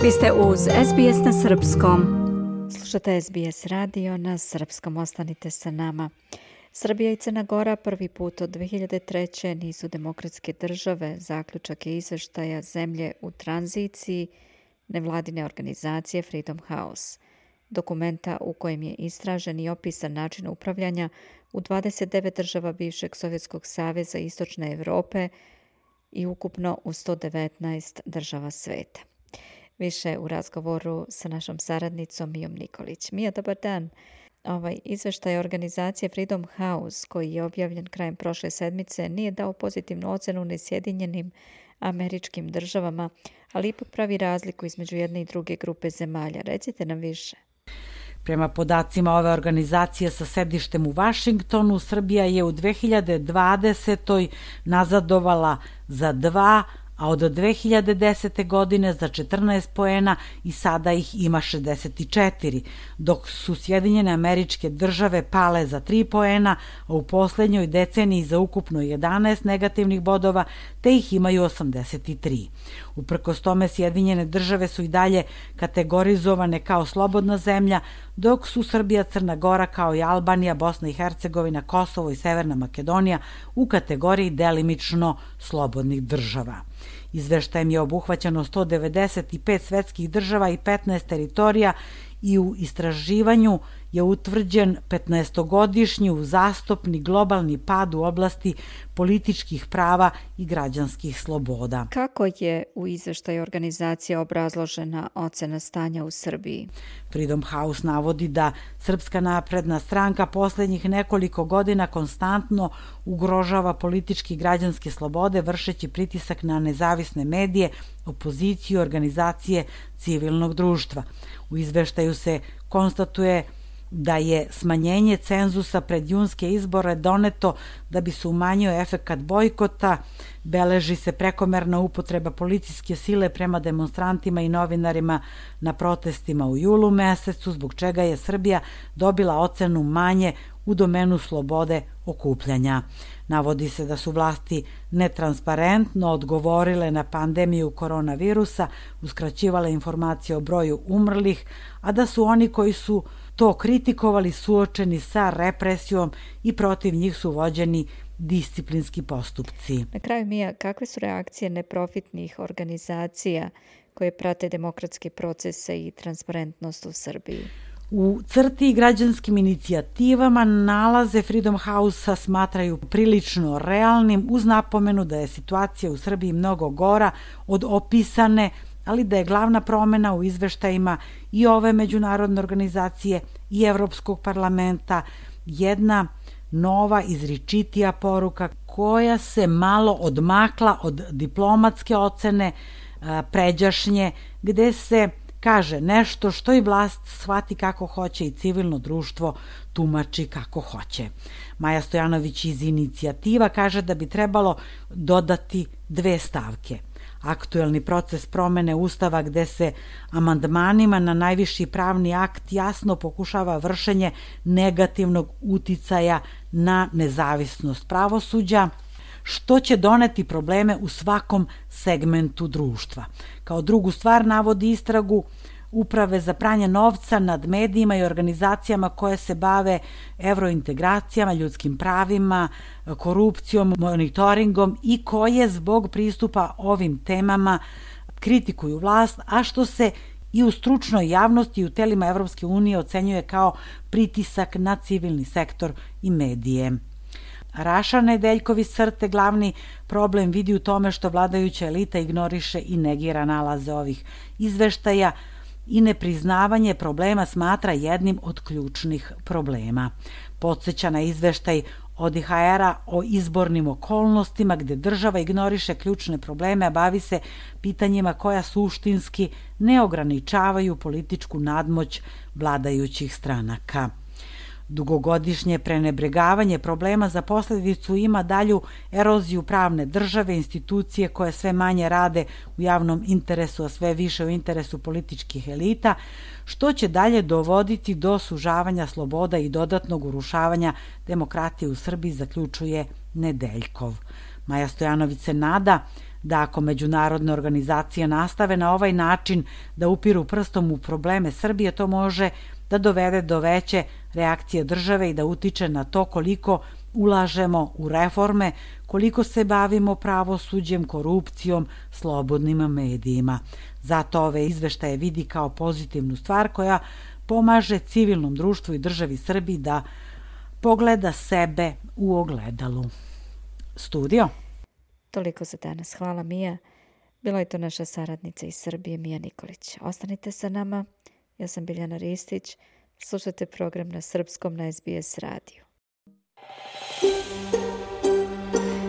Vi ste uz SBS na srpskom. Slušate SBS radio na srpskom, ostanite sa nama. Srbija i Crna Gora prvi put od 2003. nisu demokratske države. Zaključak je izveštaja zemlje u tranziciji nevladine organizacije Freedom House. Dokumenta u kojem je istražen i opisan način upravljanja u 29 država bivšeg Sovjetskog saveza i Istočne Evrope i ukupno u 119 država sveta. Više u razgovoru sa našom saradnicom Mijom Nikolić. Mija, dobar dan. Ovaj izveštaj organizacije Freedom House, koji je objavljen krajem prošle sedmice, nije dao pozitivnu ocenu ni Sjedinjenim Američkim Državama, ali ipak pravi razliku između jedne i druge grupe zemalja. Recite nam više. Prema podacima ove organizacije sa sedištem u Vašingtonu, Srbija je u 2020. nazadovala za 2, a od 2010. godine za 14 poena i sada ih ima 64, dok su Sjedinjene Američke Države pale za 3 poena, a u poslednjoj deceniji za ukupno 11 negativnih bodova, te ih imaju 83. Uprkos tome, Sjedinjene Države su i dalje kategorizovane kao slobodna zemlja, dok su Srbija, Crna Gora, kao i Albanija, Bosna i Hercegovina, Kosovo i Severna Makedonija u kategoriji delimično slobodnih država. Izveštajem je obuhvaćeno 195 svetskih država i 15 teritorija i u istraživanju je utvrđen 15-godišnji uzastopni globalni pad u oblasti političkih prava i građanskih sloboda. Kako je u izveštaju organizacije obrazložena ocena stanja u Srbiji? Freedom House navodi da Srpska napredna stranka poslednjih nekoliko godina konstantno ugrožava politički i građanske slobode, vršeći pritisak na nezavisne medije, opoziciju i organizacije civilnog društva. U izveštaju se konstatuje da je smanjenje cenzusa pred junske izbore doneto da bi se umanjio efekat bojkota, beleži se prekomerna upotreba policijske sile prema demonstrantima i novinarima na protestima u julu mesecu, zbog čega je Srbija dobila ocenu manje u domenu slobode okupljanja. Navodi se da su vlasti netransparentno odgovorile na pandemiju koronavirusa, uskraćivale informacije o broju umrlih, a da su oni koji su to kritikovali suočeni sa represijom i protiv njih su vođeni disciplinski postupci. Na kraju, Mija, kakve su reakcije neprofitnih organizacija koje prate demokratske procese i transparentnost u Srbiji? U crti i građanskim inicijativama nalaze Freedom House-a smatraju prilično realnim, uz napomenu da je situacija u Srbiji mnogo gora od opisane, ali da je glavna promena u izveštajima i ove međunarodne organizacije i Evropskog parlamenta jedna nova izričitija poruka koja se malo odmakla od diplomatske ocene pređašnje, gde se kaže nešto što i vlast shvati kako hoće i civilno društvo tumači kako hoće. Maja Stojanović iz inicijativa kaže da bi trebalo dodati 2 stavke. Aktuelni proces promene Ustava gde se amandmanima na najviši pravni akt jasno pokušava vršenje negativnog uticaja na nezavisnost pravosuđa, što će doneti probleme u svakom segmentu društva. Kao drugu stvar navodi istragu Uprave za pranje novca nad medijima i organizacijama koje se bave evrointegracijama, ljudskim pravima, korupcijom, monitoringom i koje zbog pristupa ovim temama kritikuju vlast, a što se i u stručnoj javnosti i u telima Evropske unije ocenjuje kao pritisak na civilni sektor i medije. Raša Nedeljkov iz CRTE glavni problem vidi u tome što vladajuća elita ignoriše i negira nalaze ovih izveštaja i nepriznavanje problema smatra jednim od ključnih problema. Podsjeća na izveštaj ODIHR-a o izbornim okolnostima gde država ignoriše ključne probleme, a bavi se pitanjima koja suštinski ne ograničavaju političku nadmoć vladajućih stranaka. Dugogodišnje prenebregavanje problema za posledicu ima dalju eroziju pravne države, institucije koje sve manje rade u javnom interesu, a sve više u interesu političkih elita, što će dalje dovoditi do sužavanja sloboda i dodatnog urušavanja demokratije u Srbiji, zaključuje Nedeljkov. Maja Stojanović se nada da ako međunarodne organizacije nastave na ovaj način da upiru prstom u probleme Srbije, to može da dovede do veće reakcije države i da utiče na to koliko ulažemo u reforme, koliko se bavimo pravosuđem, korupcijom, slobodnim medijima. Zato ove izveštaje vidi kao pozitivnu stvar koja pomaže civilnom društvu i državi Srbiji da pogleda sebe u ogledalu. Studio. Toliko za danas. Hvala, Mija. Bila je to naša saradnica iz Srbije, Mija Nikolić. Ostanite sa nama. Ja sam Biljana Ristić. Slušajte program na srpskom na SBS radiju.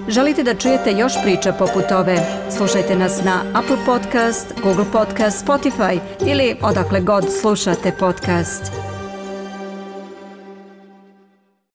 Želite da čujete još priča poput ove? Slušajte nas na Apple Podcast, Google Podcast, Spotify ili odakle god slušate podcast.